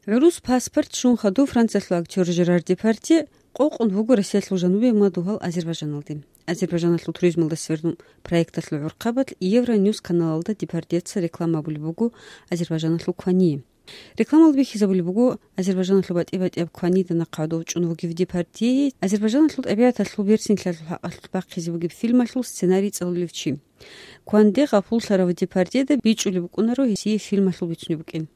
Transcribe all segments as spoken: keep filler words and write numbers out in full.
ГӀурус паспорт щун хадув Франциялъул актер Жерар Депардье къокъун вуго Россиялъул жанубе ва дугьал Азербайджаналде. Азербайджаналъул туризмалда сверун проекталъул гӀурхъабалъ Евроньюс каналалда Депардьеца реклама абулеб буго Азербайджаналъул квание. Рекламалда бихьизабулеб буго, Азербайджаналъул батӀи-батӀияб кванида нахъ гӀодов чӀун вугев Депардье Азербайджаналъул тӀабигӀаталъул берцинлъиялъул хӀакъалъулъ бахъизе бугеб фильмалъул сценарий цӀалулев чи. Кванде гъапуллъарав Депардьеда бичӀчӀулеб букӀунаро гьесие фильмалъул бицунеб букӀин.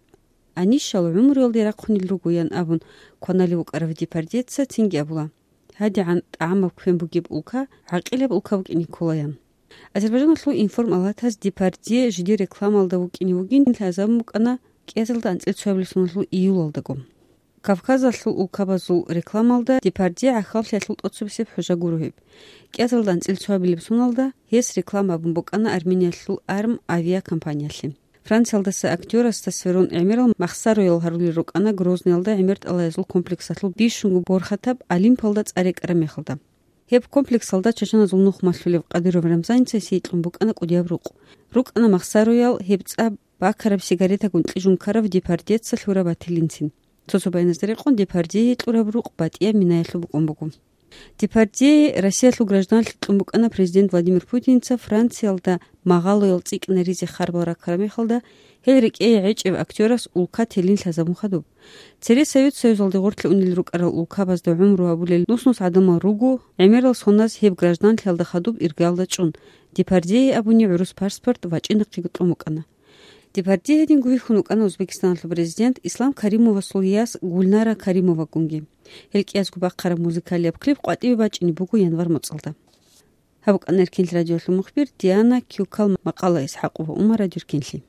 Анищал гӀумруялде рахъунел руго, ян абун, кваналев вукӀарав Депардьеца цинги абула: «ГьадигӀан тӀагӀамаб квен бугеб улка гӀакъилаб улка букӀине кколаян». Азербайджаналъул информалатас Депардье жидер рекламалда вукӀине вугин лъазабун букӀана кӀиазалда анцӀила цоябилеб соналъул июлалдаго. Кавказалъул улкабазул рекламалда Депардье гӀахьаллъиялъул тӀоцебесеб хӀужа гуро гьеб. КӀиазалда анцӀила цоябилеб соналда гьес реклама абун букӀана Армениялъул Арм авиакомпаниялъе. Франциялдаса актерасда сверун гӀемерал махсароял гьарулел рукӀана Грозныйалда гӀемер тӀалаязул комплексалъул бищунго борхатаб Олимпалда цӀар рекӀараб мехалда. Гьеб комплексалда чачаназул нух малъулев Кадыров Рамзаница гьесие кьун букӀана кӀудияб рукъ. РукӀана махсароял, гьеб цӀа бакараб сигаретагун кьижун ккарав Депардьеца лъураб батилинцин. Цо-цо байназда рекъон Депардьее кьураб рукъ батӀияб минаялъул букӀун буго. Депардьее Россиялъул гражданлъи кьун букӀана президент Владимир Путинца Франциялда магъалоял цӀикӀкӀинаризе харбал раккараб мехалда, гьел рекӀее гӀечӀев актерас улка телин лъазабун хадуб. Цере Совет Союзалде гъорлъе унел рукӀарал улкабазда гӀумру гьабулел нус-нус гӀадамал руго, гӀемерал соназ гьеб гражданлъиялда хадуб иргаялда чӀун, Депардьее абуни гӀурус паспорт вачӀинахъего кьун букӀана. Депардье гьединго вихьун вукӀана Узбекистаналъул президент Ислам Каримовасул яс Гульнара Каримовагунги. Гьел кӀиязго бахъараб музыкалияб клип къватӀиве бачӀине буго январь моцӀалда. Гьаб букӀана Эркенлъи радиолъул мухбир Диана Кюкал макъала, Исхакъова Умар радиоркенлъи.